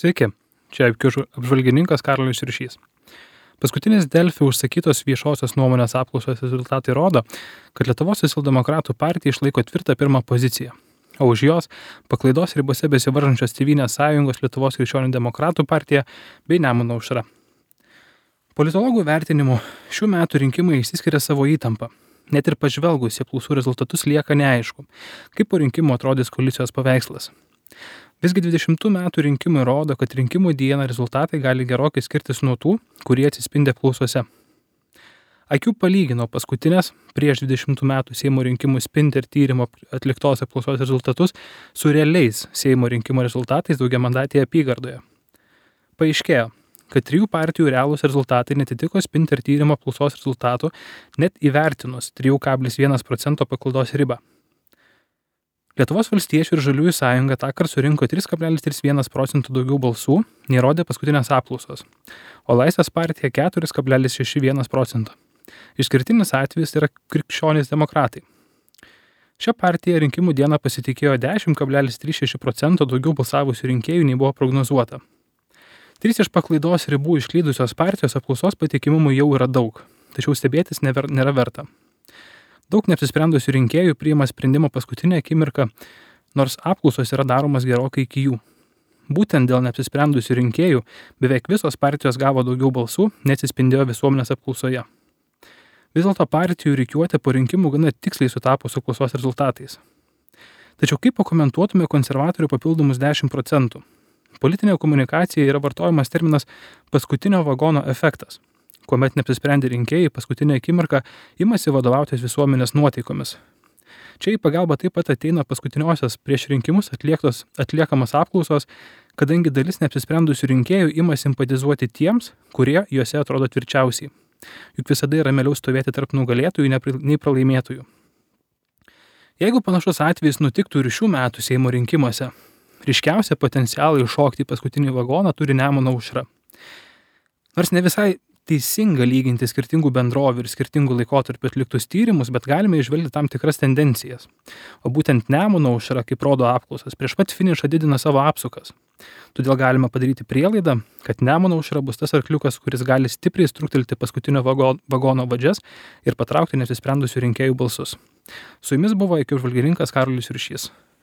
Sveiki, čia apžvalgininkas Karolis Ryšys. Paskutinis Delfi užsakytos viešosios nuomonės apklausos rezultatai rodo, kad Lietuvos socialdemokratų partija išlaiko tvirtą pirmą poziciją, o už jos paklaidos ribose besivaržančios Tėvynės sąjungos Lietuvos krikščionių demokratų partija bei Nemuno aušra. Politologų vertinimu šių metų rinkimai išsiskiria savo įtampą. Net ir pažvelgus į apklausų rezultatus lieka neaišku, kaip po rinkimų atrodys koalicijos paveikslas. Visgi 20 metų rinkimai rodo, kad rinkimų dieną rezultatai gali gerokai skirtis nuo tų, kurie atsispindi apklausose. IQ palygino paskutinės prieš 20 metų Seimo rinkimų Spinter tyrimo atliktos apklausos rezultatus su realiais Seimo rinkimų rezultatais daugiamandatėje apygardoje. Paaiškėjo, kad 3 partijų realūs rezultatai netitiko Spinter tyrimo apklausos rezultatų net įvertinus 3,1% paklaidos ribą. Lietuvos valstiečių ir žaliųjų sąjunga tąkart surinko 3,31% daugiau balsų, nei rodė paskutinės apklausos, o Laisvės partija 4,61%. Išskirtinis atvejis yra krikščionys demokratai. Šią partiją rinkimų dieną pasitikėjo 10,36% daugiau balsavusių rinkėjų nei buvo prognozuota. 3 iš paklaidos ribų išklydusios partijos apklausos patikimumų jau yra daug, tačiau stebėtis nėra verta. Daug neapsisprendusių rinkėjų priima sprendimą paskutinę akimirką, nors apklausos yra daromas gerokai iki jų. Būtent dėl neapsisprendusių rinkėjų beveik visos partijos gavo daugiau balsų, neatsispindėjo visuomenės apklausoje. Vis dėlto partijų rikiuotė po rinkimų gana tiksliai sutapo su apklausos rezultatais. Tačiau kaip pakomentuotume konservatorių papildomus 10%? Politinėje komunikacijoje yra vartojamas terminas paskutinio vagono efektas, kuomet neapsisprendę rinkėjai paskutinę akimirką imasi vadovautis visuomenės nuotaikomis. Čia į pagalbą taip pat ateina paskutiniosios prieš rinkimus atliekamas apklausos, kadangi dalis neapsisprendusių rinkėjų ima simpatizuoti tiems, kurie juose atrodo tvirčiausiai. Juk visada yra mieliau stovėti tarp nugalėtojų nei pralaimėtojų. Jeigu panašus atvejis nutiktų ir šių metų Seimo rinkimuose, ryškiausią potencialą iššokti į paskutinį vagoną turi Nemuno aušra. Nors ne visai teisinga lyginti skirtingų bendrovių ir skirtingų laikotarpių atliktus tyrimus, bet galime įžvelgti tam tikras tendencijas. O būtent Nemuno aušra, kaip rodo apklausas, prieš pat finišą didina savo apsukas. Todėl galima padaryti prielaidą, kad Nemuno aušra bus tas arkliukas, kuris gali stipriai struktelti paskutinio vagono vadžias ir patraukti neapsisprendusių rinkėjų balsus. Su jumis buvo IQ apžvalgininkas Karolis Ryšys.